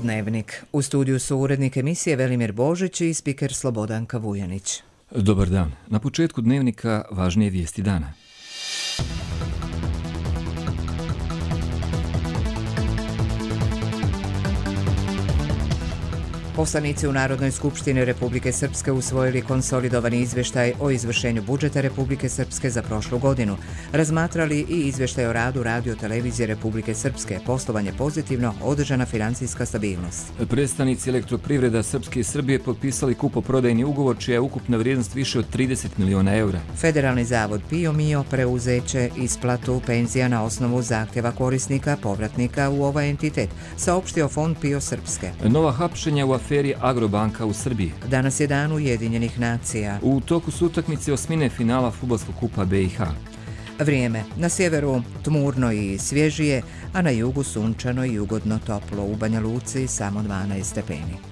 Dnevnik. U studiju su urednik emisije Velimir Božić i spiker Slobodanka Vujanić. Dobar dan. Na početku Dnevnika važnije vijesti dana. Poslanici u Narodnoj skupštini Republike Srpske usvojili konsolidovani izvještaj o izvršenju budžeta Republike Srpske za prošlu godinu. Razmatrali i izvještaj o radu Radio televizije Republike Srpske, poslovanje pozitivno, održana financijska stabilnost. Predstavnici Elektroprivreda Srpske i Srbije potpisali kupoprodajni ugovor čija je ukupna vrijednost više od 30 miliona eura. Federalni zavod PIO Mio preuzeće isplatu penzija na osnovu zahtjeva korisnika, povratnika u ovaj entitet, saopštio Fond PIO Srpske. Nova hapšenja u aferi Agrobanka u Srbiji. Danas je dan Ujedinjenih nacija. U toku su utakmice osmine finala fudbalskog kupa BiH. Vrijeme. Na sjeveru tmurno i svježije, a na jugu sunčano i ugodno toplo. U Banja Luci samo 12 stepeni.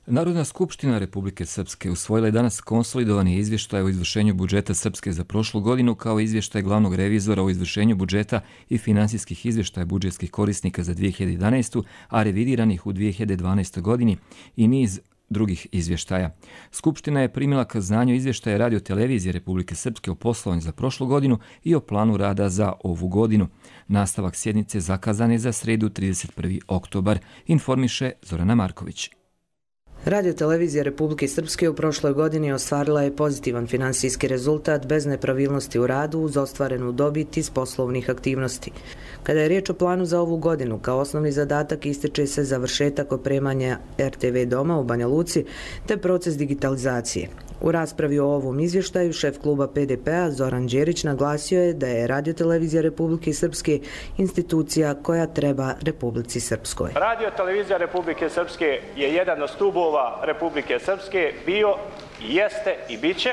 Narodna skupština Republike Srpske usvojila je danas konsolidovani izvještaj o izvršenju budžeta Srpske za prošlu godinu kao izvještaj glavnog revizora o izvršenju budžeta i finansijskih izvještaja budžetskih korisnika za 2011. a revidiranih u 2012. godini i niz drugih izvještaja. Skupština je primila k znanju izvještaje Radio televizije Republike Srpske o poslovanju za prošlu godinu i o planu rada za ovu godinu. Nastavak sjednice zakazan je za sredu 31. oktobar, informiše Zorana Marković. Radio televizija Republike Srpske u prošloj godini ostvarila je pozitivan finansijski rezultat bez nepravilnosti u radu uz ostvarenu dobit iz poslovnih aktivnosti. Kada je riječ o planu za ovu godinu, kao osnovni zadatak ističe se završetak opremanja RTV doma u Banja Luci te proces digitalizacije. U raspravi o ovom izvještaju šef kluba PDP-a Zoran Đerić naglasio je da je Radio televizija Republike Srpske institucija koja treba Republici Srpskoj. Radio televizija Republike Srpske je jedan od stubova Republike Srpske, bio, jeste i biće,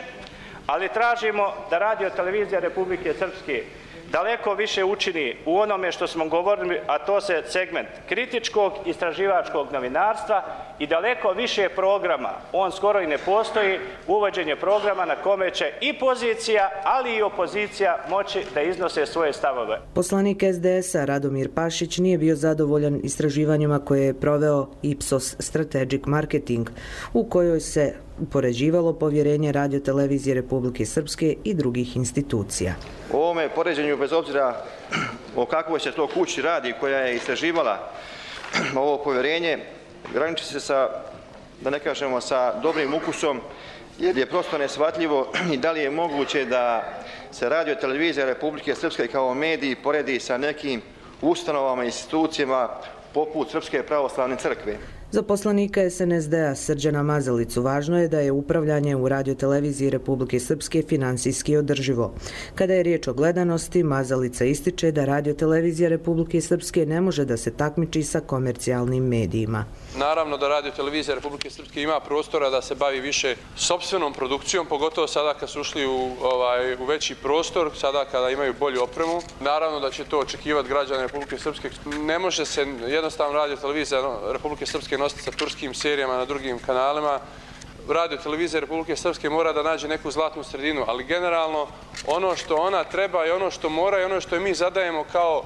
ali tražimo da Radio televizija Republike Srpske daleko više učini u onome što smo govorili, a to se segment kritičkog istraživačkog novinarstva i daleko više programa, on skoro i ne postoji, uvođenje programa na kome će i pozicija, ali i opozicija moći da iznose svoje stavove. Poslanik SDS-a Radomir Pašić nije bio zadovoljan istraživanjima koje je proveo Ipsos Strategic Marketing, u kojoj se upoređivalo povjerenje Radio televizije Republike Srpske i drugih institucija. U ovome poređenju, bez obzira o kakvoj se to kući radi koja je istraživala ovo povjerenje, graniči se sa, da ne kažemo, sa dobrim ukusom, jer je prosto neshvatljivo i da li je moguće da se Radio televizija Republike Srpske kao mediji poredi sa nekim ustanovama i institucijama poput Srpske pravoslavne crkve. Za poslanika SNSD-a Srđana Mazalicu važno je da je upravljanje u Radio televiziji Republike Srpske finansijski održivo. Kada je riječ o gledanosti, Mazalica ističe da Radio televizija Republike Srpske ne može da se takmiči sa komercijalnim medijima. Naravno da Radio televizija Republike Srpske ima prostora da se bavi više sopstvenom produkcijom, pogotovo sada kad su ušli u veći prostor, sada kada imaju bolju opremu. Naravno da će to očekivati građane Republike Srpske. Ne može se jednostavno Radio televizija Republike Srpske nositi sa turskim serijama na drugim kanalima. Radio televizija Republike Srpske mora da nađe neku zlatnu sredinu, ali generalno ono što ona treba i ono što mora i ono što mi zadajemo kao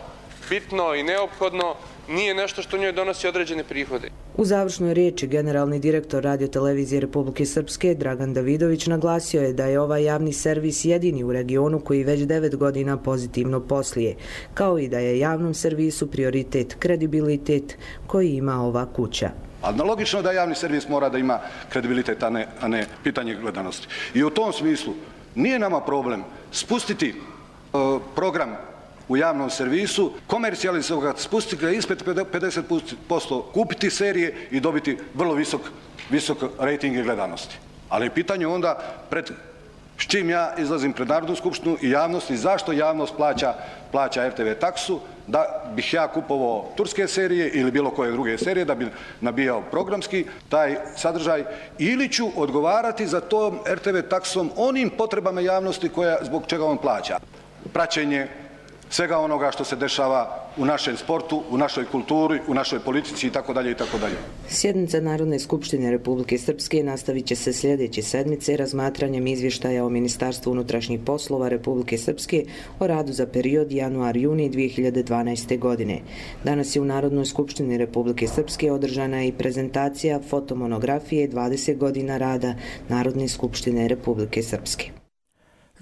bitno i neophodno nije nešto što njoj donosi određene prihode. U završnoj riječi generalni direktor Radio televizije Republike Srpske Dragan Davidović naglasio je da je ovaj javni servis jedini u regionu koji već 9 godina pozitivno posluje, kao i da je javnom servisu prioritet kredibilitet koji ima ova kuća. Analogično da javni servis mora da ima kredibilitet, a ne pitanje gledanosti. I u tom smislu nije nama problem spustiti program u javnom servisu, komercijalizovati, spustiti ga ispred 50%, kupiti serije i dobiti vrlo visok rejting i gledanosti. Ali je pitanje onda s čim ja izlazim pred Narodnu skupštinu i javnost i zašto javnost plaća RTV taksu, da bih ja kupovao turske serije ili bilo koje druge serije, da bi nabijao programski taj sadržaj, ili ću odgovarati za tom RTV taksom onim potrebama javnosti zbog čega on plaća. Praćenje svega onoga što se dešava u našem sportu, u našoj kulturi, u našoj politici itd. itd. Sjednica Narodne skupštine Republike Srpske nastavit će se sljedeće sedmice razmatranjem izvještaja o Ministarstvu unutrašnjih poslova Republike Srpske o radu za period januar-juni 2012. godine. Danas je u Narodnoj skupštini Republike Srpske održana i prezentacija fotomonografije 20 godina rada Narodne skupštine Republike Srpske.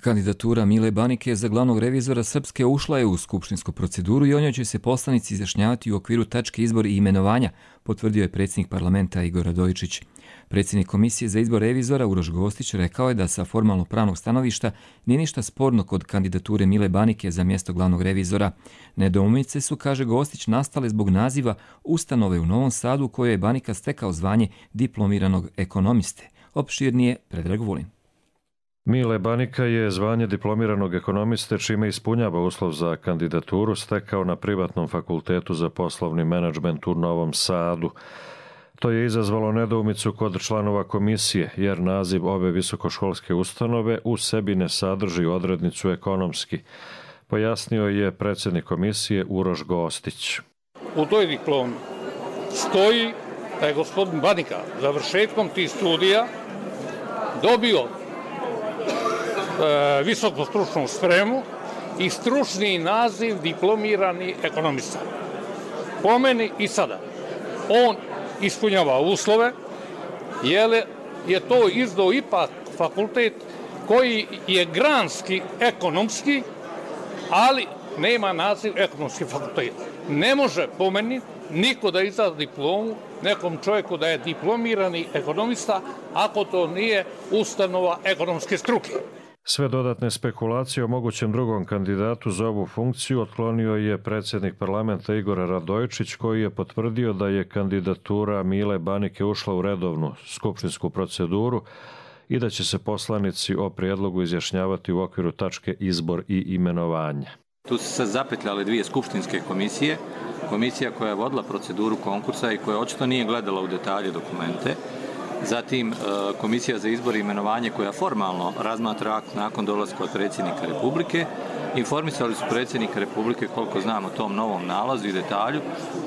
Kandidatura Mile Banike za glavnog revizora Srpske ušla je u skupštinsku proceduru i o njoj će se poslanici izjašnjavati u okviru tačke izbor i imenovanja, potvrdio je predsjednik parlamenta Igor Radojičić. Predsjednik Komisije za izbor revizora Uroš Gostić rekao je da sa formalno pravnog stanovišta nije ništa sporno kod kandidature Mile Banike za mjesto glavnog revizora. Nedoumice su, kaže Gostić, nastale zbog naziva ustanove u Novom Sadu u kojoj je Banika stekao zvanje diplomiranog ekonomiste. Opširnije Predrag Vulin. Mile Banika je zvanje diplomiranog ekonomiste, čime ispunjava uslov za kandidaturu, stekao na privatnom fakultetu za poslovni menadžment u Novom Sadu. To je izazvalo nedoumicu kod članova komisije, jer naziv ove visokoškolske ustanove u sebi ne sadrži odrednicu ekonomski, pojasnio je predsjednik komisije Uroš Gostić. U toj diplomi stoji da je gospodin Banika završetkom tih studija dobio visoku stručnu spremu i stručni naziv diplomirani ekonomista. Po meni i sada on ispunjava uslove, jer je to izdao ipak fakultet koji je granski ekonomski, ali nema naziv ekonomski fakultet. Ne može po meni niko da izda diplomu nekom čovjeku da je diplomirani ekonomista ako to nije ustanova ekonomske struke. Sve dodatne spekulacije o mogućem drugom kandidatu za ovu funkciju otklonio je predsjednik parlamenta Igor Radojičić, koji je potvrdio da je kandidatura Mile Banike ušla u redovnu skupštinsku proceduru i da će se poslanici o prijedlogu izjašnjavati u okviru tačke izbor i imenovanje. Tu su se zapetljale dvije skupštinske komisije. Komisija koja je vodila proceduru konkursa i koja očito nije gledala u detalje dokumente. Zatim Komisija za izbor i imenovanje koja formalno razmatra akt nakon dolaska od predsjednika Republike. Informisali su predsjednika Republike, koliko znam, o tom novom nalazu i detalju,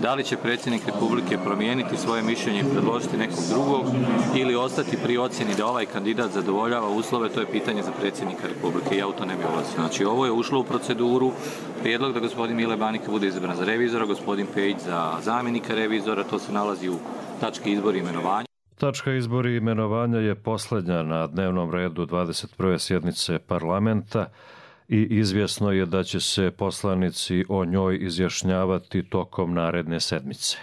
da li će predsjednik Republike promijeniti svoje mišljenje i predložiti nekog drugog ili ostati pri ocjeni da ovaj kandidat zadovoljava uslove, to je pitanje za predsjednika Republike. Ja u to ne bih ulazio. Znači, ovo je ušlo u proceduru, prijedlog da gospodin Mile Banika bude izabran za revizora, gospodin Pejić za zamjenika revizora, to se nalazi u tački izbor i imenovanja. Tačka izbor i imenovanja je posljednja na dnevnom redu 21. sjednice parlamenta i izvjesno je da će se poslanici o njoj izjašnjavati tokom naredne sedmice.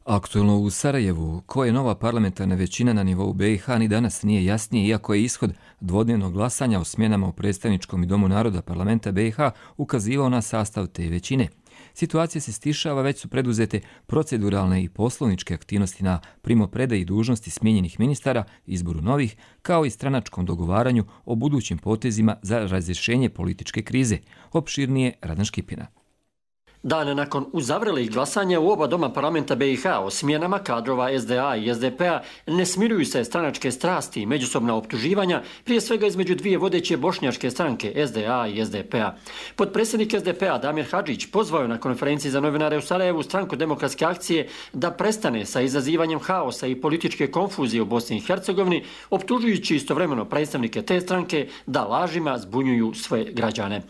Aktuelno u Sarajevu, koja je nova parlamentarna većina na nivou BiH, ni danas nije jasnije, iako je ishod dvodnevnog glasanja o smjenama u predstavničkom i Domu naroda parlamenta BiH ukazivao na sastav te većine. Situacija se stišava, već su preduzete proceduralne i poslovničke aktivnosti na primopredaji dužnosti smijenjenih ministara, izboru novih, kao i stranačkom dogovaranju o budućim potezima za razrješenje političke krize. Opširnije Radan Škipina. Dan nakon uzavrelih glasanja u oba doma parlamenta BiH o smjenama kadrova SDA i SDP-a ne smiruju se stranačke strasti i međusobna optuživanja, prije svega između dvije vodeće bošnjačke stranke SDA i SDP-a. Potpredsjednik SDP-a Damir Hadžić pozvao je na konferenciji za novinare u Sarajevu stranku Demokratske akcije da prestane sa izazivanjem haosa i političke konfuzije u Bosni i Hercegovini, optužujući istovremeno predstavnike te stranke da lažima zbunjuju svoje građane.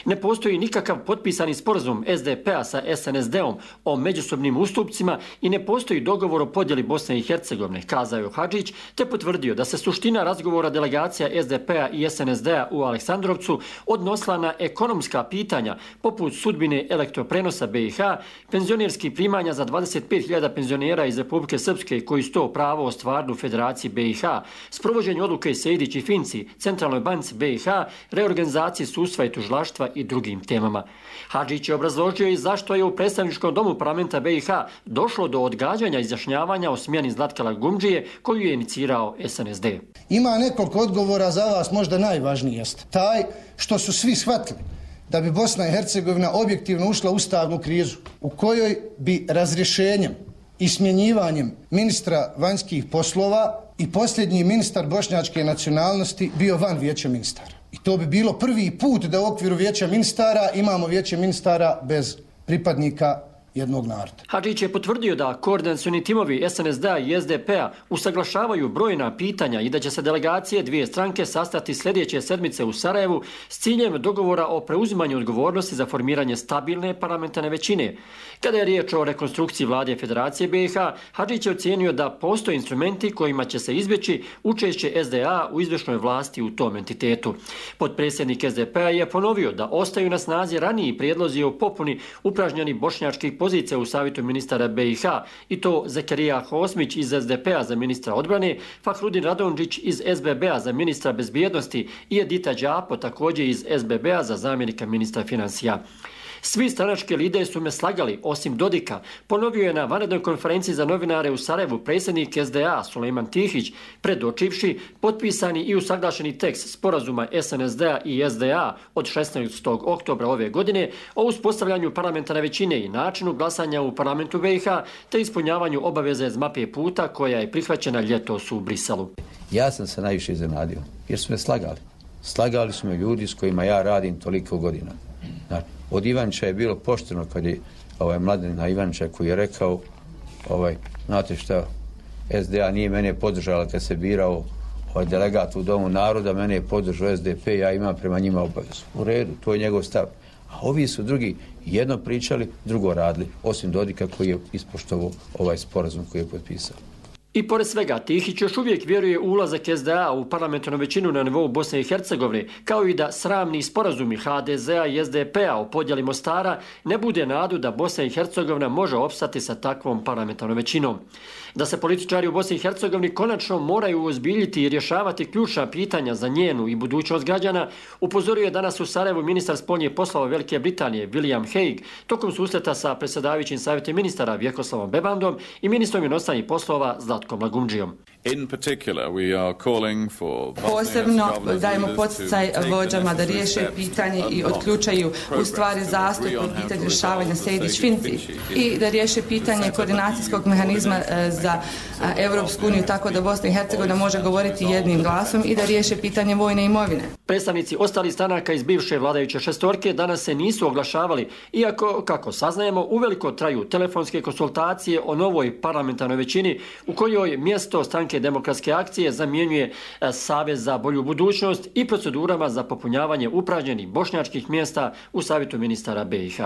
Ne postoji nikakav potpisani sporazum SDP-a sa SNSD-om o međusobnim ustupcima i ne postoji dogovor o podjeli Bosne i Hercegovine, kazao je Hadžić, te potvrdio da se suština razgovora delegacija SDP-a i SNSD-a u Aleksandrovcu odnosila na ekonomska pitanja poput sudbine elektroprenosa BiH, penzionerskih primanja za 25.000 penzionera iz Republike Srpske koji su to pravo ostvarili u Federaciji BiH, sprovođenju odluke Sejdić i Finci, Centralnoj banci BiH, reorganizaciji sudstva i tužilaštva i drugim temama. Hadžić je obrazložio i zašto je u predstavničkom domu parlamenta BiH došlo do odgađanja izjašnjavanja o smjeni Zlatkala Gumdžije koju je inicirao SNSD. Ima nekoliko odgovora, za vas možda najvažniji jest taj što su svi shvatili da bi Bosna i Hercegovina objektivno ušla u ustavnu krizu u kojoj bi razrješenjem i smjenjivanjem ministra vanjskih poslova i posljednji ministar bošnjačke nacionalnosti bio van vijeća ministara. I to bi bilo prvi put da u okviru vijeća ministara imamo vijeće ministara bez pripadnika jednog naroda. Hadžić je potvrdio da koordinacioni timovi SNSD-a i SDP-a usaglašavaju brojna pitanja i da će se delegacije dvije stranke sastati sljedeće sedmice u Sarajevu s ciljem dogovora o preuzimanju odgovornosti za formiranje stabilne parlamentarne većine. Kada je riječ o rekonstrukciji vlade Federacije BiH, Hadžić je ocijenio da postoje instrumenti kojima će se izbjeći učešće SDA u izvršnoj vlasti u tom entitetu. Potpredsjednik SDP-a je ponovio da ostaju na snazi raniji prijedlozi o popuni upražnjenih bošnjačkih pozicija u savjetu ministara BiH i to Zekerija Hosmić iz SDP-a za ministra odbrane, Fahrudin Radonjić iz SBB-a za ministra bezbjednosti i Edita Đapo također iz SBB-a za zamjenika ministra financija. Svi stranački lideri su me slagali, osim Dodika, ponovio je na vanrednoj konferenciji za novinare u Sarajevu predsjednik SDA Sulejman Tihić, predočivši potpisani i usaglašeni tekst sporazuma SNSD-a i SDA od 16. oktobra ove godine o uspostavljanju parlamentarne većine i načinu glasanja u parlamentu BiH te ispunjavanju obaveze iz mape puta koja je prihvaćena ljetos u Briselu. Ja sam se najviše iznenadio jer su me slagali. Slagali su me ljudi s kojima ja radim toliko godina. Znači, od Ivanča je bilo pošteno kad je Mladen Ivanča koji je rekao znate šta, SDA nije mene podržala kad se birao delegat u Domu naroda, mene je podržao SDP, ja imam prema njima obavezu. U redu, to je njegov stav. A ovi su drugi jedno pričali, drugo radili, osim Dodika koji je ispoštovao ovaj sporazum koji je potpisao. I pored svega, Tihić još uvijek vjeruje u ulazak SDA u parlamentarnu većinu na nivou Bosne i Hercegovine, kao i da sramni sporazumi HDZ-a i SDP-a o podjeli Mostara ne bude nadu da Bosna i Hercegovina može opstati sa takvom parlamentarnom većinom. Da se političari u Bosni i Hercegovini konačno moraju ozbiljiti i rješavati ključna pitanja za njenu i budućnost građana, upozorio je danas u Sarajevu ministar spoljnih poslova Velike Britanije William Hague tokom susreta sa predsjedavajućim savjetom ministara Vjekoslavom Bebandom i ministrom inostranih poslova Zlatkom Lagumdžijom. Posebno dajemo poticaj vođama da riješe pitanje i otključaju u stvari zastup u pitanju rješavanja Sejdić-Finci i da riješe pitanje koordinacijskog mehanizma za Europsku uniju tako da Bosna i Hercegovina može govoriti jednim glasom i da riješe pitanje vojne imovine. Predstavnici ostalih stranaka iz bivše vladajuće šestorke danas se nisu oglašavali, iako, kako saznajemo, uveliko traju telefonske konsultacije o novoj parlamentarnoj većini u kojoj mjesto stranke Demokratske akcije zamjenjuje Savez za bolju budućnost i procedurama za popunjavanje upražnjenih bošnjačkih mjesta u savjetu ministara BiH.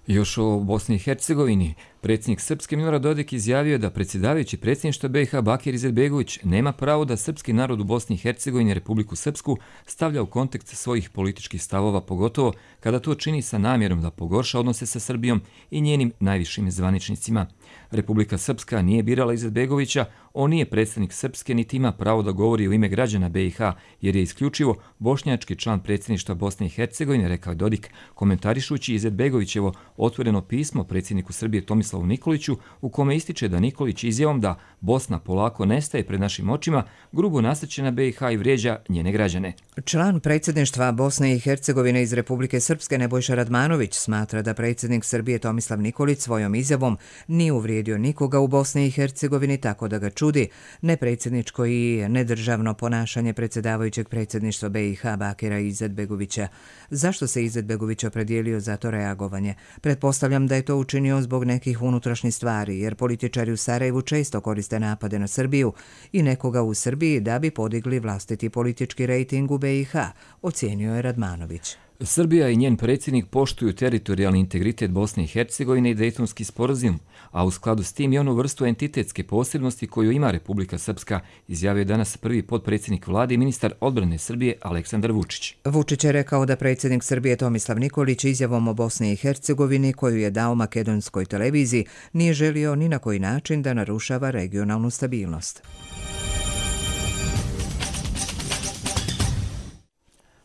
Još o Bosni i Hercegovini, predsjednik Srpske Milorad Dodik izjavio da predsjedavajući predsjedništva BiH Bakir Izetbegović nema pravo da srpski narod u Bosni i Hercegovini Republiku Srpsku stavlja u kontekst svojih političkih stavova, pogotovo kada to čini sa namjerom da pogorša odnose sa Srbijom i njenim najvišim zvaničnicima. Republika Srpska nije birala Izetbegovića, on nije predstavnik Srpske niti ima pravo da govori u ime građana BiH jer je isključivo bošnjački član predsjedništva Bosne i Hercegovine, rekao je Dodik, komentarišući Izetbegovićevo otvoreno pismo predsjedniku Srbije Tomislavu Nikoliću u kome ističe da Nikolić izjavom da Bosna polako nestaje pred našim očima grubo nasrće na BiH i vrijeđa njene građane. Član predsjedništva Bosne i Hercegovine iz Republike Srpske Nebojša Radmanović smatra da predsjednik Srbije Tomislav Nikolić svojom izjavom nije uvrijedio nikoga u Bosni i Hercegovini, tako da ga čudi nepredsjedničko i nedržavno ponašanje predsjedavajućeg predsjedništva BiH Bakira Izetbegovića. Zašto se Izetbegović opredijelio za to reagovanje? Pretpostavljam da je to učinio zbog nekih unutrašnjih stvari, jer političari u Sarajevu često koriste napade na Srbiju i nekoga u Srbiji da bi podigli vlastiti politički rejting u BiH, ocijenio je Radmanović. Srbija i njen predsjednik poštuju teritorijalni integritet Bosne i Hercegovine i Dejtonski sporazum, a u skladu s tim i onu vrstu entitetske posebnosti koju ima Republika Srpska, izjavio je danas prvi potpredsjednik vlade i ministar odbrane Srbije Aleksandar Vučić. Vučić je rekao da predsjednik Srbije Tomislav Nikolić izjavom o Bosni i Hercegovini koju je dao makedonskoj televiziji nije želio ni na koji način da narušava regionalnu stabilnost.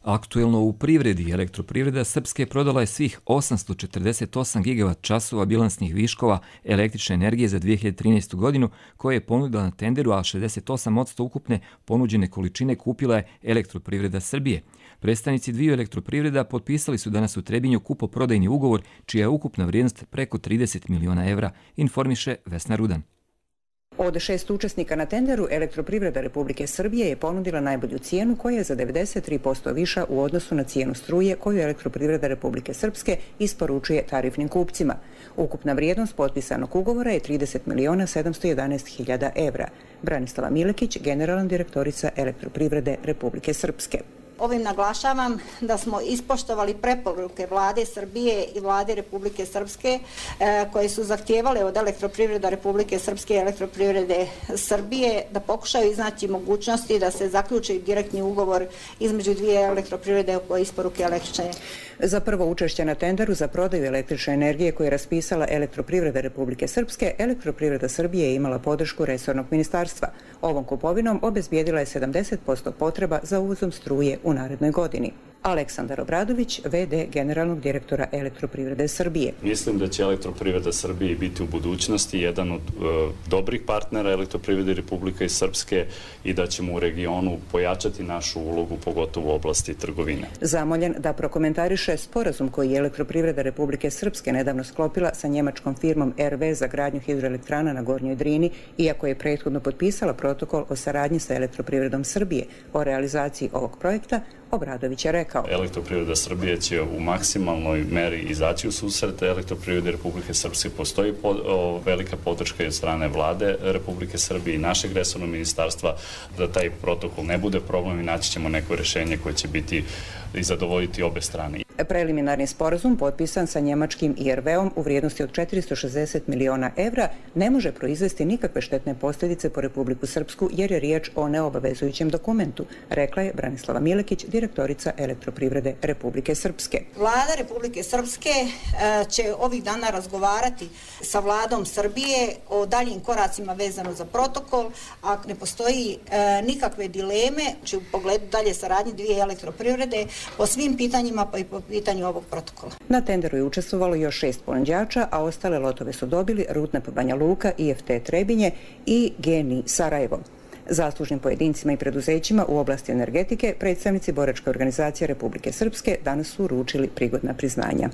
Aktuelno u privredi, elektroprivreda Srpske prodala je svih 848 gigavat časova bilansnih viškova električne energije za 2013. godinu koje je ponudila na tenderu, a 68% ukupne ponuđene količine kupila je Elektroprivreda Srbije. Predstavnici dviju elektroprivreda potpisali su danas u Trebinju kupoprodajni ugovor čija je ukupna vrijednost preko 30 miliona evra, informiše Vesna Rudan. Od 6 učesnika na tenderu, Elektroprivreda Republike Srbije je ponudila najbolju cijenu koja je za 93% viša u odnosu na cijenu struje koju Elektroprivreda Republike Srpske isporučuje tarifnim kupcima. Ukupna vrijednost potpisanog ugovora je 30.711.000 evra. Branislava Milekić, generalna direktorica Elektroprivrede Republike Srpske. Ovim naglašavam da smo ispoštovali preporuke Vlade Srbije i Vlade Republike Srpske koje su zahtijevale od Elektroprivreda Republike Srpske i Elektroprivrede Srbije da pokušaju iznaći mogućnosti da se zaključi direktni ugovor između dvije elektroprivrede o isporuke električne. Za prvo učešće na tenderu za prodaju električne energije koje je raspisala Elektroprivreda Republike Srpske, Elektroprivreda Srbije je imala podršku resornog ministarstva. Ovom kupovinom obezbijedila je 70% potreba za uvozom struje u narednoj godini. Aleksandar Obradović, v.d. generalnog direktora Elektroprivrede Srbije. Mislim da će Elektroprivreda Srbije biti u budućnosti jedan od dobrih partnera Elektroprivrede Republike Srpske i da ćemo u regionu pojačati našu ulogu, pogotovo u oblasti trgovine. Zamoljen da prokomentariše sporazum koji je Elektroprivreda Republike Srpske nedavno sklopila sa njemačkom firmom RV za gradnju hidroelektrana na Gornjoj Drini, iako je prethodno potpisala protokol o saradnji sa Elektroprivredom Srbije o realizaciji ovog projekta, Obradović je rekao. Elektroprivreda Srbije će u maksimalnoj meri izaći u susret Elektroprivrede Republike Srpske. Postoji velika podrška od strane Vlade Republike Srbije i našeg resornog ministarstva da taj protokol ne bude problem i naći ćemo neko rješenje koje će biti i zadovoljiti obe strane. Preliminarni sporazum potpisan sa njemačkim IRV-om u vrijednosti od 460 miliona evra ne može proizvesti nikakve štetne posljedice po Republiku Srpsku jer je riječ o neobavezujućem dokumentu, rekla je Branislava Milekić, direktorica Elektroprivrede Republike Srpske. Vlada Republike Srpske će ovih dana razgovarati sa Vladom Srbije o daljim koracima vezano za protokol, a ne postoji nikakve dileme u pogledu dalje saradnje dvije elektroprivrede po svim pitanjima pa i po pitanju ovog protokola. Na tenderu je učestvovalo još 6 ponuđača, a ostale lotove su dobili Rudnap Banja Luka, IFT Trebinje i GNI Sarajevo. Zaslužnim pojedincima i preduzećima u oblasti energetike predstavnici Boračke organizacije Republike Srpske danas su uručili prigodna priznanja.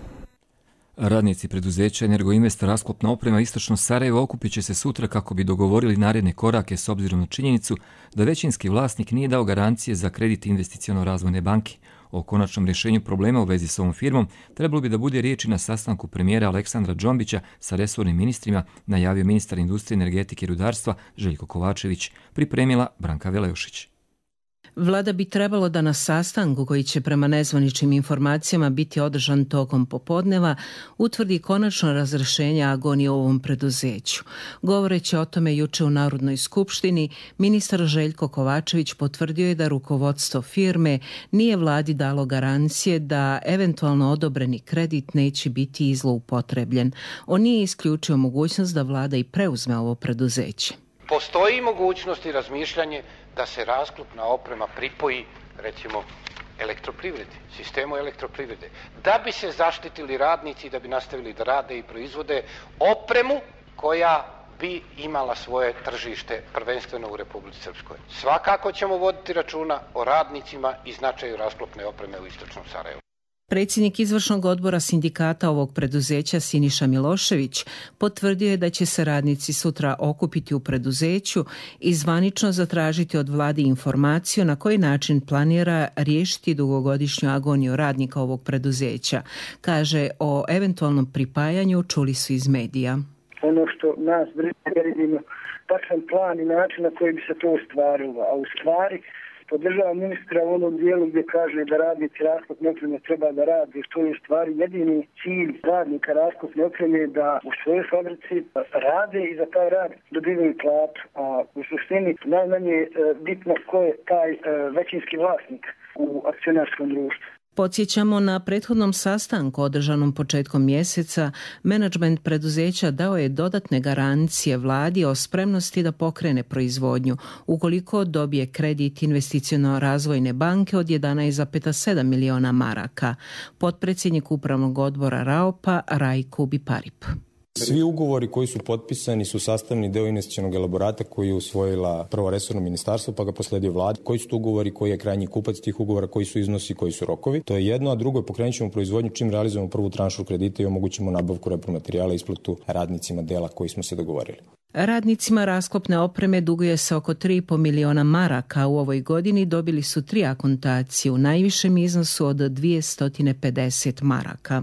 Radnici preduzeća Energoinvest Rasklopna oprema Istočno Sarajevo okupit će se sutra kako bi dogovorili naredne korake s obzirom na činjenicu da većinski vlasnik nije dao garancije za kredit Investiciono-razvojne banke. O konačnom rješenju problema u vezi s ovom firmom trebalo bi da bude riječi na sastanku premijera Aleksandra Džombića sa resornim ministrima, najavio ministar industrije, energetike i rudarstva Željko Kovačević, pripremila Branka Velejošić. Vlada bi trebalo da na sastanku koji će prema nezvaničnim informacijama biti održan tokom popodneva utvrdi konačno razrješenje agonije u ovom preduzeću. Govoreći o tome juče u Narodnoj skupštini, ministar Željko Kovačević potvrdio je da rukovodstvo firme nije vladi dalo garancije da eventualno odobreni kredit neće biti zloupotrebljen. On nije isključio mogućnost da vlada i preuzme ovo preduzeće. Postoji mogućnost i razmišljanje da se rasklopna oprema pripoji, recimo, elektroprivredi, sistemu elektroprivrede, da bi se zaštitili radnici, da bi nastavili da rade i proizvode opremu koja bi imala svoje tržište prvenstveno u Republici Srpskoj. Svakako ćemo voditi računa o radnicima i značaju rasklopne opreme u Istočnom Sarajevu. Predsjednik izvršnog odbora sindikata ovog preduzeća Siniša Milošević potvrdio je da će se radnici sutra okupiti u preduzeću i zvanično zatražiti od vlade informaciju na koji način planira riješiti dugogodišnju agoniju radnika ovog preduzeća. Kaže, o eventualnom pripajanju čuli su iz medija. Ono što nas brine, vidimo tačan plan i način na koji bi se to ostvarilo, a u stvari podržava ministra u onom dijelu gdje kaže da radnici rasklopne opreme treba da rade, što je u stvari jedini cilj radnika rasklopne opreme da u svojoj fabrici rade i za taj rad dobivaju platu. A u suštini najmanje je bitno ko je taj većinski vlasnik u akcionarskom društvu. Podsjećamo, na prethodnom sastanku održanom početkom mjeseca, menadžment preduzeća dao je dodatne garancije vladi o spremnosti da pokrene proizvodnju ukoliko dobije kredit Investiciono-razvojne banke od 11,7 miliona maraka. Potpredsjednik upravnog odbora RAOP-a Rajko Biparip. Svi ugovori koji su potpisani su sastavni deo investicionog elaborata koji je usvojila prvo resorno ministarstvo pa ga prosledio vladi. Koji su to ugovori, koji je krajnji kupac tih ugovora, koji su iznosi, koji su rokovi. To je jedno, a drugo je pokrenut ćemo proizvodnju čim realizujemo prvu tranšu kredita i omogućimo nabavku repromaterijala i isplatu radnicima dela koji smo se dogovorili. Radnicima rasklopne opreme duguje se oko 3,5 miliona maraka. U ovoj godini dobili su 3 akontacije u najvišem iznosu od 250 maraka.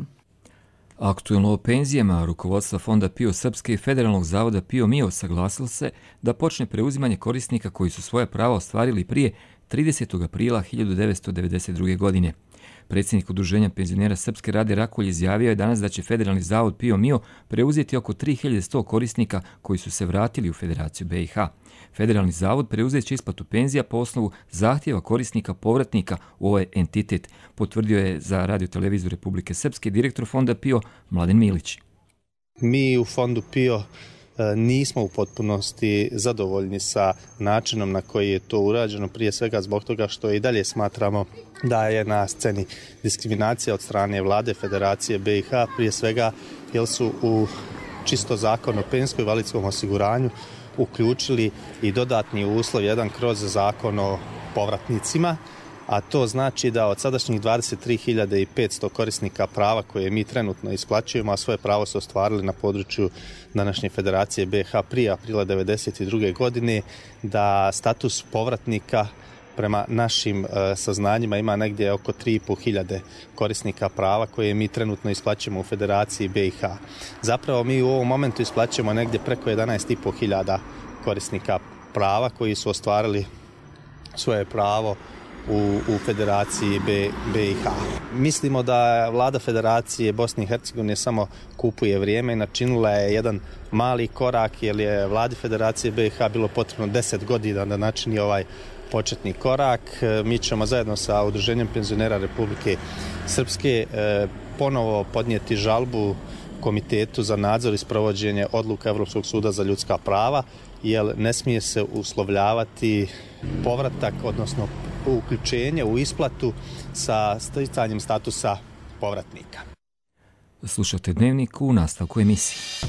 Aktuelno o penzijama rukovodstva Fonda PIO Srpske i Federalnog zavoda PIO MIO saglasilo se da počne preuzimanje korisnika koji su svoje prava ostvarili prije 30. aprila 1992. godine. Predsjednik Udruženja penzionera Srpske Rade Rakulj izjavio je danas da će Federalni zavod PIO MIO preuzeti oko 3100 korisnika koji su se vratili u Federaciju BiH. Federalni zavod preuzet će isplatu penzija po osnovu zahtjeva korisnika povratnika u ovaj entitet, potvrdio je za Radio-televiziju Republike Srpske direktor Fonda PIO Mladen Milić. Mi u Fondu PIO nismo u potpunosti zadovoljni sa načinom na koji je to urađeno, prije svega zbog toga što i dalje smatramo da je na sceni diskriminacija od strane vlade Federacije BiH, prije svega jer su u čisto zakon o penzijskom i invalidskom osiguranju uključili i dodatni uslov jedan kroz zakon o povratnicima, a to znači da od sadašnjih 23.500 korisnika prava koje mi trenutno isplaćujemo, a svoje pravo su ostvarili na području današnje Federacije BiH prije aprila 1992. godine, da status povratnika prema našim saznanjima ima negdje oko 3.500 korisnika prava koje mi trenutno isplaćujemo u Federaciji BiH. Zapravo mi u ovom momentu isplaćujemo negdje preko 11.500 korisnika prava koji su ostvarili svoje pravo u Federaciji BiH. Mislimo da vlada Federacije Bosne i Hercegovine samo kupuje vrijeme i načinila je jedan mali korak, jer je vladi Federacije BiH bilo potrebno 10 godina da načini ovaj početni korak. Mi ćemo zajedno sa Udruženjem penzionera Republike Srpske ponovo podnijeti žalbu Komitetu za nadzor i sprovođenje odluka Evropskog suda za ljudska prava, jer ne smije se uslovljavati povratak, odnosno uključenje u isplatu sa sticanjem statusa povratnika. Slušate Dnevnik u nastavku emisije.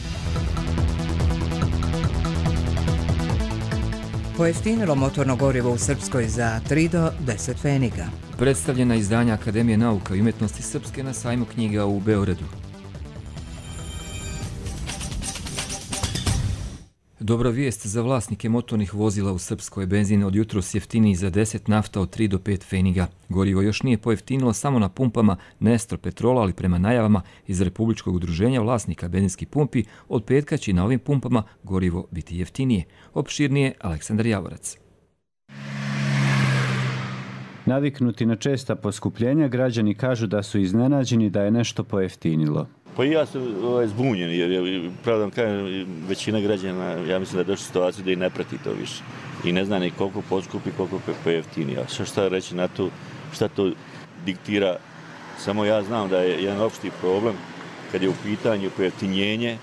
Pojeftinilo motorno gorivo u Srpskoj za 3 do 10 pfeniga. Predstavljena izdanja Akademije nauka i umjetnosti Srpske na sajmu knjiga u Beogradu. Dobra vijest za vlasnike motornih vozila u Srpskoj. Benzin od jutros jeftiniji za 10, nafta od 3 do 5 pfeniga. Gorivo još nije pojeftinilo samo na pumpama Nestro Petrola, ali prema najavama iz Republičkog udruženja vlasnika benzinskih pumpi, od petka će na ovim pumpama gorivo biti jeftinije. Opširnije Aleksandar Javorac. Naviknuti na česta poskupljenja, građani kažu da su iznenađeni da je nešto pojeftinilo. Pa i ja sam zbunjen, jer pravda vam kažem, većina građana, ja mislim da je došla situaciju da i ne prati to više. I ne zna ni koliko poskupi, koliko pojeftini. A šta reći na to, šta to diktira, samo ja znam da je jedan opšti problem kad je u pitanju pojeftinjenje,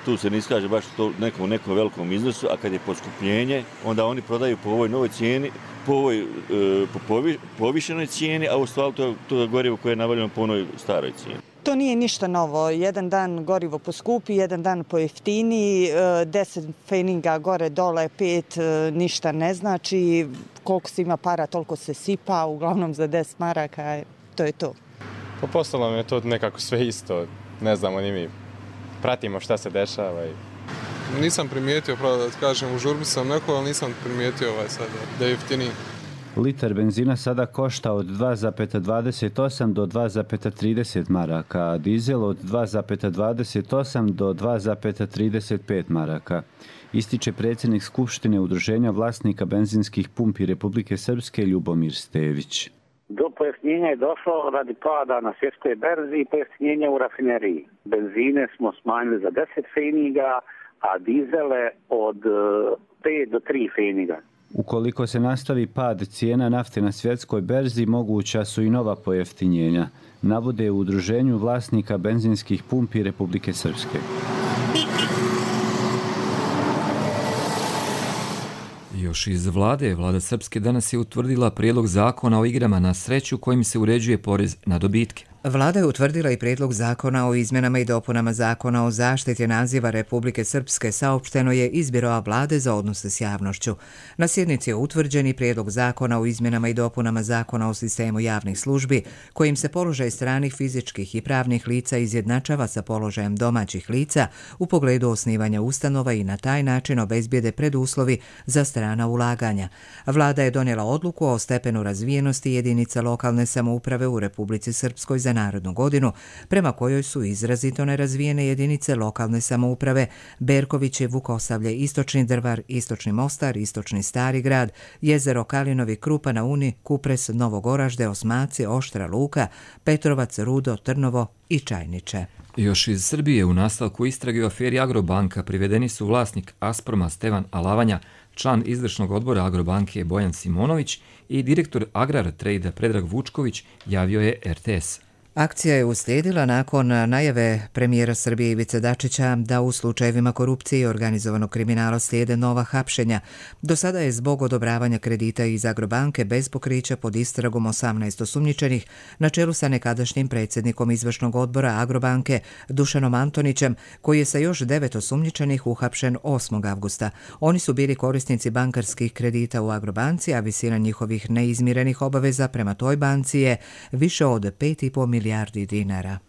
tu se ne iskaže baš to nekom velikom iznosu, a kad je poskupljenje, onda oni prodaju po ovoj novoj cijeni, po ovoj povišenoj cijeni, a u stvari to je gorivo koje je navaljeno po onoj staroj cijeni. To nije ništa novo. Jedan dan gorivo poskupi, jedan dan pojeftini, 10 pfeniga gore dole, 5 ništa ne znači. Koliko se ima para, toliko se sipa, uglavnom za 10 maraka, to je to. Pa postalo mi je to nekako sve isto, ne znamo ni mi. Pratimo šta se dešava. Nisam primijetio, pravo da kažem, u žurbi sam neko, ali nisam primijetio sada da je jeftiniji. Liter benzina sada košta od 2,28 do 2,30 maraka, a dizel od 2,28 do 2,35 maraka. Ističe predsjednik Skupštine Udruženja vlasnika benzinskih pumpi Republike Srpske Ljubomir Stević. Do pojeftinjenja je došlo radi pada na svjetskoj berzi i pojeftinjenja u rafineriji. Benzine smo smanjili za 10 pfeniga, a dizele od 5 do 3 pfeniga. Ukoliko se nastavi pad cijena nafte na svjetskoj berzi, moguća su i nova pojeftinjenja, navode u Udruženju vlasnika benzinskih pumpi Republike Srpske. Još iz vlade, vlada Srpske danas je utvrdila prijedlog zakona o igrama na sreću kojim se uređuje porez na dobitke. Vlada je utvrdila i prijedlog zakona o izmjenama i dopunama zakona o zaštiti naziva Republike Srpske, saopšteno je iz Biroa Vlade za odnose s javnošću. Na sjednici je utvrđen i prijedlog zakona o izmjenama i dopunama zakona o sistemu javnih službi, kojim se položaj stranih fizičkih i pravnih lica izjednačava sa položajem domaćih lica u pogledu osnivanja ustanova i na taj način obezbijede preduslovi za strana ulaganja. Vlada je donijela odluku o stepenu razvijenosti jedinica lokalne samouprave u Republici Srpskoj za narednu godinu, prema kojoj su izrazito nerazvijene jedinice lokalne samouprave Berkoviće, Vukosavlje, Istočni Drvar, Istočni Mostar, Istočni Stari Grad, Jezero Kalinovi, Krupa na Uni, Kupres, Novogoražde, Osmaci, Oštra Luka, Petrovac, Rudo, Trnovo i Čajniče. Još iz Srbije u nastavku istrage u aferi Agrobanka privedeni su vlasnik Asproma Stevan Alavanja, član izvršnog odbora Agrobanke Bojan Simonović i direktor Agrar Trejda Predrag Vučković, javio je RTS. Akcija je uslijedila nakon najave premijera Srbije Ivice Dačića da u slučajevima korupcije i organizovanog kriminala slijede nova hapšenja. Do sada je zbog odobravanja kredita iz Agrobanke bez pokrića pod istragom 18 osumnjičenih na čelu sa nekadašnjim predsjednikom izvršnog odbora Agrobanke Dušanom Antonićem, koji je sa još 9 osumnjičenih uhapšen 8. avgusta. Oni su bili korisnici bankarskih kredita u Agrobanci, a visina njihovih neizmirenih obaveza prema toj banci je više od 5,5 milijardi dinara.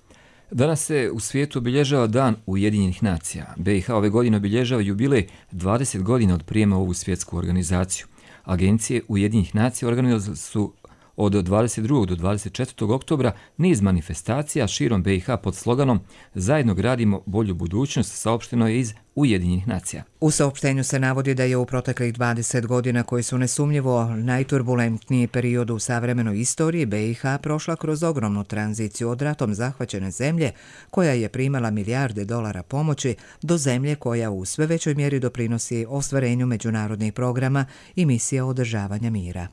Danas se u svijetu obilježava Dan Ujedinjenih nacija. BiH ove godine obilježava jubilej 20 godina od prijema u ovu svjetsku organizaciju. Agencije Ujedinjenih nacija organizovale su od 22. do 24. oktobra niz manifestacija širom BiH pod sloganom Zajedno gradimo bolju budućnost, saopšteno je iz Ujedinjenih nacija. U saopštenju se navodi da je u proteklih 20 godina, koji su nesumnjivo najturbulentniji period u savremenoj istoriji, BiH prošla kroz ogromnu tranziciju od ratom zahvaćene zemlje, koja je primala milijarde dolara pomoći, do zemlje koja u sve većoj mjeri doprinosi ostvarenju međunarodnih programa i misija održavanja mira.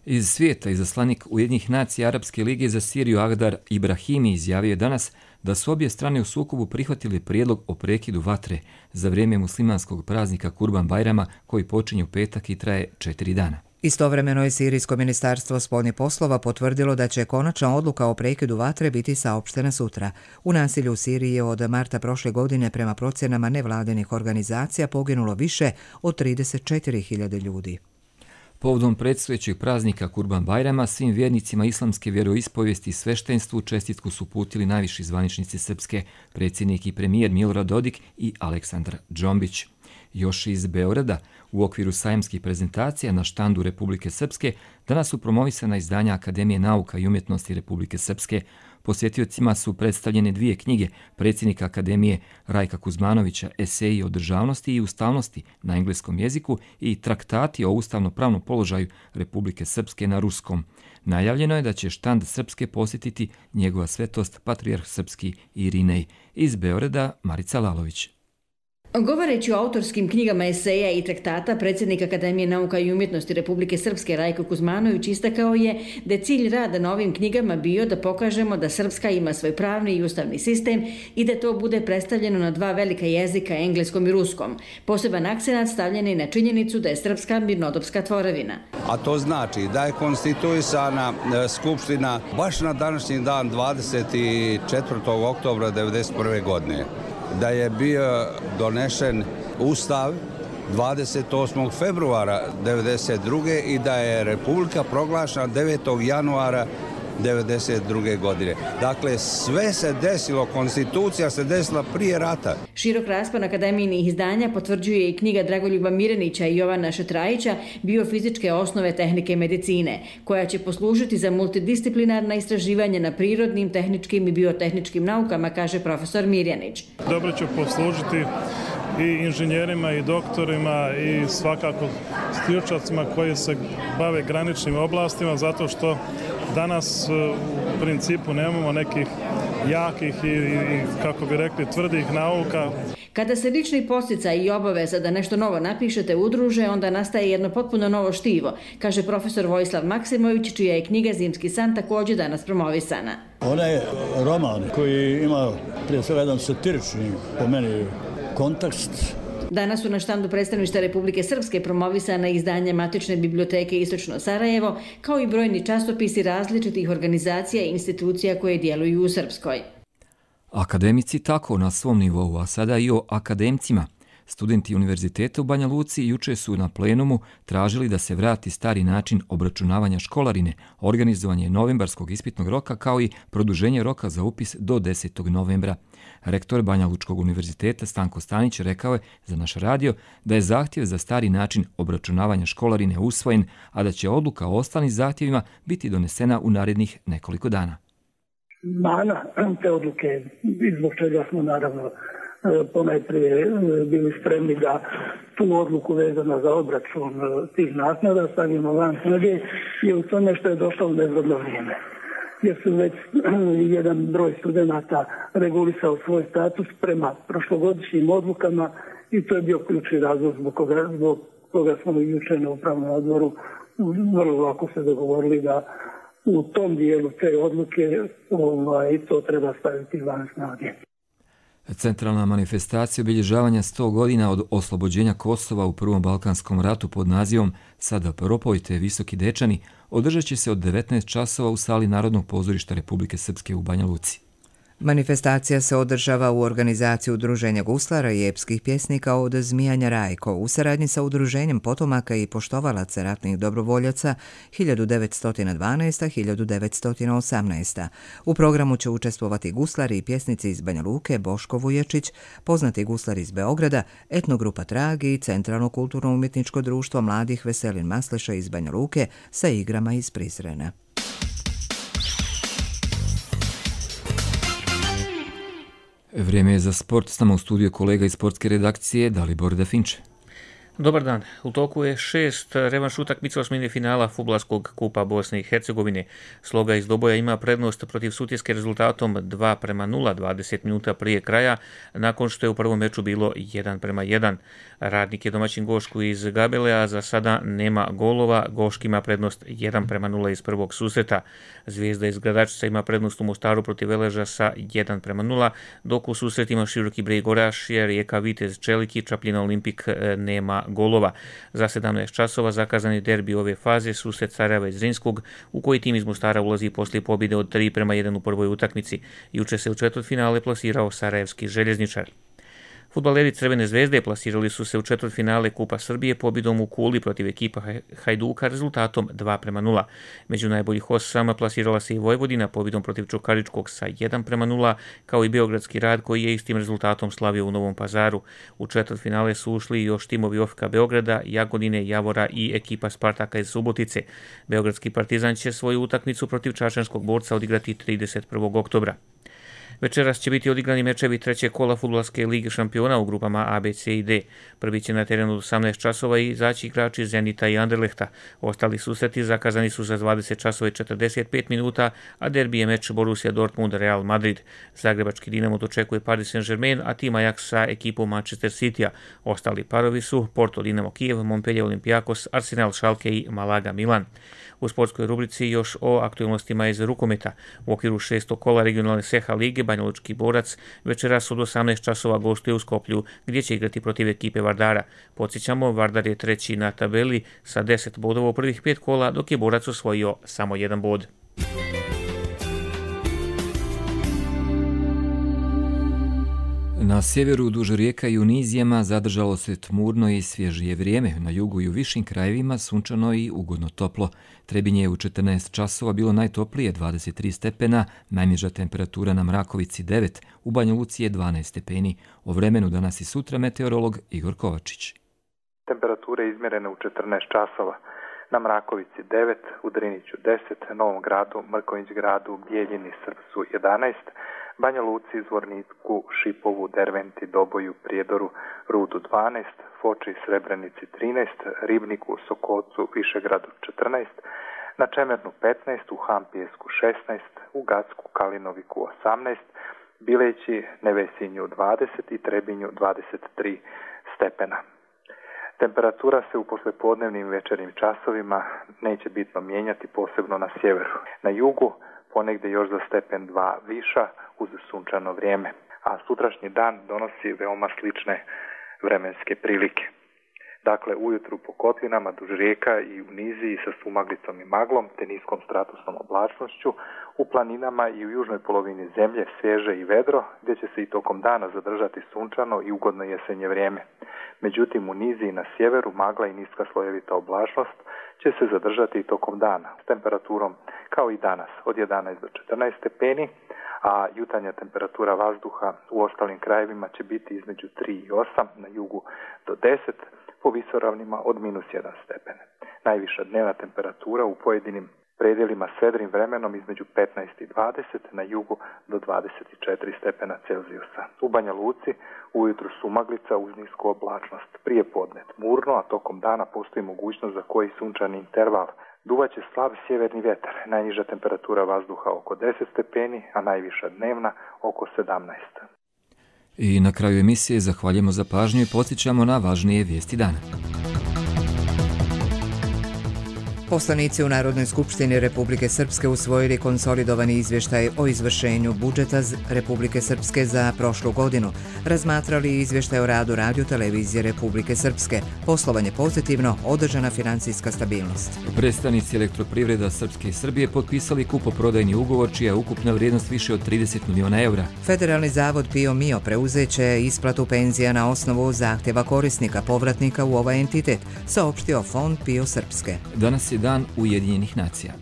Iz svijeta izaslanik Ujedinjenih nacija Arapske lige za Siriju Agdar Ibrahimi izjavio je danas da su obje strane u sukobu prihvatili prijedlog o prekidu vatre za vrijeme muslimanskog praznika Kurban Bajrama, koji počinje u petak i traje 4 dana. Istovremeno je Sirijsko ministarstvo spoljnih poslova potvrdilo da će konačna odluka o prekidu vatre biti saopštena sutra. U nasilju u Siriji je od marta prošle godine prema procjenama nevladinih organizacija poginulo više od 34.000 ljudi. Povodom predstojećeg praznika Kurban Bajrama svim vjernicima islamske vjeroispovijesti i sveštenstvu čestitku su uputili najviši zvaničnici Srpske, predsjednik i premijer Milorad Dodik i Aleksandar Džombić. Još iz Beograda, u okviru sajamskih prezentacija na štandu Republike Srpske, danas su promovisana izdanja Akademije nauka i umjetnosti Republike Srpske. Posjetiocima su predstavljene 2 knjige predsjednika Akademije Rajka Kuzmanovića, Eseji o državnosti i ustavnosti na engleskom jeziku i traktati o ustavno-pravnom položaju Republike Srpske na ruskom. Najavljeno je da će štand Srpske posjetiti njegova svetost Patrijarh Srpski Irinej. Iz Beograda Marica Lalović. Govoreći o autorskim knjigama eseja i traktata, predsjednik Akademije nauka i umjetnosti Republike Srpske Rajko Kuzmanović istakao je da je cilj rada na ovim knjigama bio da pokažemo da Srpska ima svoj pravni i ustavni sistem i da to bude predstavljeno na 2 velika jezika, engleskom i ruskom. Poseban akcenat stavljen je na činjenicu da je Srpska mirnodopska tvorevina. A to znači da je konstituisana Skupština baš na današnji dan 24. oktobra 1991. godine. Da je bio donešen Ustav 28. februara 1992. i da je Republika proglašena 9. januara 1992. godine. Dakle, sve se desilo, konstitucija se desila prije rata. Širok raspon akademijinih izdanja potvrđuje i knjiga Dragoljuba Mirenića i Jovana Šetrajića Biofizičke osnove tehnike medicine, koja će poslužiti za multidisciplinarna istraživanja na prirodnim, tehničkim i biotehničkim naukama, kaže profesor Mirjanić. Dobro će poslužiti i inženjerima i doktorima i svakako stručnjacima koji se bave graničnim oblastima, zato što danas u principu nemamo nekih jakih i kako bi rekli tvrdih nauka. Kada se lični podsticaj i obaveza da nešto novo napišete udruže, onda nastaje jedno potpuno novo štivo, kaže profesor Vojislav Maksimović, čija je knjiga Zimski san također danas promovisana. Ona je roman koji ima prije svega jedan satirični, po meni, kontekst, Danas su na štandu predstavništva Republike Srpske promovisana izdanja Matične biblioteke Istočno Sarajevo, kao i brojni časopisi različitih organizacija i institucija koje djeluju u Srpskoj. Akademici tako na svom nivou, a sada i o akademcima. Studenti Univerziteta u Banja Luci juče su na plenumu tražili da se vrati stari način obračunavanja školarine, organizovanje novembarskog ispitnog roka kao i produženje roka za upis do 10. novembra. Rektor Banja Lučkog univerziteta Stanko Stanić rekao je za naš radio da je zahtjev za stari način obračunavanja školarine usvojen, a da će odluka o ostalim zahtjevima biti donesena u narednih nekoliko dana. Mana te odluke, zbog čega smo naravno ponajprije bili spremni da tu odluku vezano za obračun tih naknada stavimo van snage, je u tome što je došlo u nezgodno vrijeme. Jer su već jedan broj studenata regulisao svoj status prema prošlogodišnjim odlukama i to je bio ključni razlog zbog koga smo jučer na upravnom odboru vrlo lako se dogovorili da u tom dijelu te odluke to treba staviti van snage. Centralna manifestacija obilježavanja 100 godina od oslobođenja Kosova u Prvom Balkanskom ratu pod nazivom Sada propojte visoki dečani održat će se od 19 časova u sali Narodnog pozorišta Republike Srpske u Banja Luci. Manifestacija se održava u organizaciji Udruženja guslara i epskih pjesnika od Zmijanja Rajko u saradnji sa Udruženjem potomaka i poštovalaca ratnih dobrovoljaca 1912-1918. U programu će učestvovati guslari i pjesnici iz Banja Luke Boško Vuječić, poznati guslar iz Beograda, etnogrupa Trag i Centralno kulturno-umjetničko društvo mladih Veselin Masleša iz Banja Luke sa igrama iz Prizrena. Vrijeme je za sport, s nama u studiju kolega iz sportske redakcije Dalibor Dafinče. Dobar dan. U toku je 6 revanš utakmica osmine finala Fudbalskog kupa Bosne i Hercegovine. Sloga iz Doboja ima prednost protiv Sutjeske rezultatom 2:0 20 minuta prije kraja, nakon što je u prvom meču bilo 1:1. Radnik je domaćin Gošku iz Gabele, a za sada nema golova. Goški ima prednost 1:0 iz prvog susreta. Zvijezda iz Gradačica ima prednost u Mostaru protiv Veleža sa 1:0, dok u susretima Široki Brijeg Orašje, Rijeka Vitez Čelik i Čapljina Olimpik nema golova. Za 17 časova zakazani derbi ove faze, susret Sarajeva i Zrinskog, u koji tim iz Mostara ulazi poslije pobjede od 3:1 u prvoj utakmici. Juče se u četvrtfinale plasirao sarajevski Željezničar. Fudbaleri Crvene zvezde plasirali su se u četvrtfinale Kupa Srbije pobjedom u Kuli protiv ekipa Hajduka rezultatom 2:0. Među najboljih 8 plasirala se i Vojvodina pobjedom protiv Čukaričkog sa 1:0, kao i Beogradski Rad koji je istim rezultatom slavio u Novom Pazaru. U četvrtfinale su ušli još timovi OFK Beograda, Jagodine, Javora i ekipa Spartaka iz Subotice. Beogradski Partizan će svoju utakmicu protiv čačanskog Borca odigrati 31. oktobra. Večeras će biti odigrani mečevi trećeg kola Fudbalske lige šampiona u grupama A, B, C i D. Prvi će na terenu od 18 časova izaći igrači Zenita i Anderlehta. Ostali susreti zakazani su za 20 časova i 45 minuta, a derbi je meč Borussia Dortmund Real Madrid. Zagrebački Dinamo dočekuje Paris Saint-Germain, a tim Ajax sa ekipom Manchester Citya. Ostali parovi su Porto Dinamo Kijev, Montpellier Olympiakos, Arsenal Schalke i Malaga Milan. U sportskoj rubrici još o aktualnostima iz rukometa. U okviru 6. kola regionalne Seha lige Banja Lučki Borac večeras od 18 časova gostuje u Skoplju, gdje će igrati protiv ekipe Vardara. Podsjećamo, Vardar je treći na tabeli sa 10 bodova u prvih 5 kola, dok je Borac osvojio samo 1 bod. Na sjeveru duž rijeka i u nizijama zadržalo se tmurno i svježije vrijeme. Na jugu i u višim krajevima sunčano i ugodno toplo. Trebinje je u 14 časova bilo najtoplije 23 stepena, najniža temperatura na Mrakovici 9, u Banja Luci je 12 stepeni. O vremenu danas i sutra meteorolog Igor Kovačić. Temperature izmjerene u 14 časova. Na Mrakovici 9, u Driniću 10, Novom Gradu, Mrkonjić Gradu, Bijeljini, Srpsu 11, Banja Luci, Zvorniku, Šipovu, Derventi, Doboju, Prijedoru, Rudu 12, Foči, Srebrenici 13, Ribniku, Sokocu, Višegradu 14, na Čemernu 15, u Hampijesku 16, u Gacku, Kalinoviku 18, Bileći, Nevesinju 20 i Trebinju 23 stepena. Temperatura se u poslijepodnevnim i večernjim časovima neće bitno mijenjati, posebno na sjeveru. Na jugu ponegdje još za stepen 2 viša uz sunčano vrijeme. A sutrašnji dan donosi veoma slične vremenske prilike. Dakle, ujutru po kotlinama duž rijeka i u niziji sa sumaglicom i maglom te niskom stratusnom oblačnošću, u planinama i u južnoj polovini zemlje svježe i vedro, gdje će se i tokom dana zadržati sunčano i ugodno jesenje vrijeme. Međutim, u niziji na sjeveru magla i niska slojevita oblačnost će se zadržati i tokom dana s temperaturom kao i danas od 11 do 14 stepeni, a jutarnja temperatura vazduha u ostalim krajevima će biti između 3 i 8, na jugu do 10, po visoravnima od -1 stepen. Najviša dnevna temperatura u pojedinim predjelima s vedrim vremenom između 15 i 20, na jugu do 24 stepena Celzijusa. U Banja Luci ujutru sumaglica uz nisku oblačnost, prije podne tmurno, a tokom dana postoji mogućnost za koji sunčani interval. Duvaće slab sjeverni vjetar, najniža temperatura vazduha oko 10 stepeni, a najviša dnevna oko 17. I na kraju emisije zahvaljujemo za pažnju i podsjećamo na važnije vijesti dana. Poslanici u Narodnoj skupštini Republike Srpske usvojili konsolidovani izvještaj o izvršenju budžeta Republike Srpske za prošlu godinu. Razmatrali izvještaj o radu radio-televizije Republike Srpske. Poslovanje pozitivno, održana financijska stabilnost. Predstavnici Elektroprivreda Srpske i Srbije potpisali kupoprodajni ugovor čija je ukupna vrijednost više od 30 miliona eura. Federalni zavod PIO MIO preuzeće isplatu penzija na osnovu zahtjeva korisnika povratnika u ovaj entitet, saopštio Fond PIO Srpske. Danas je dan Ujedinjenih nacija.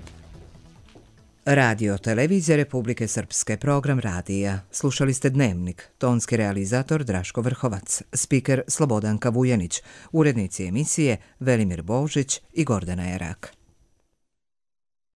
Radio televizija Republike Srpske, program radija. Slušali ste Dnevnik, tonski realizator Draško Vrhovac, spiker Slobodanka Vujanić, urednici emisije Velimir Božić i Gordana Erak.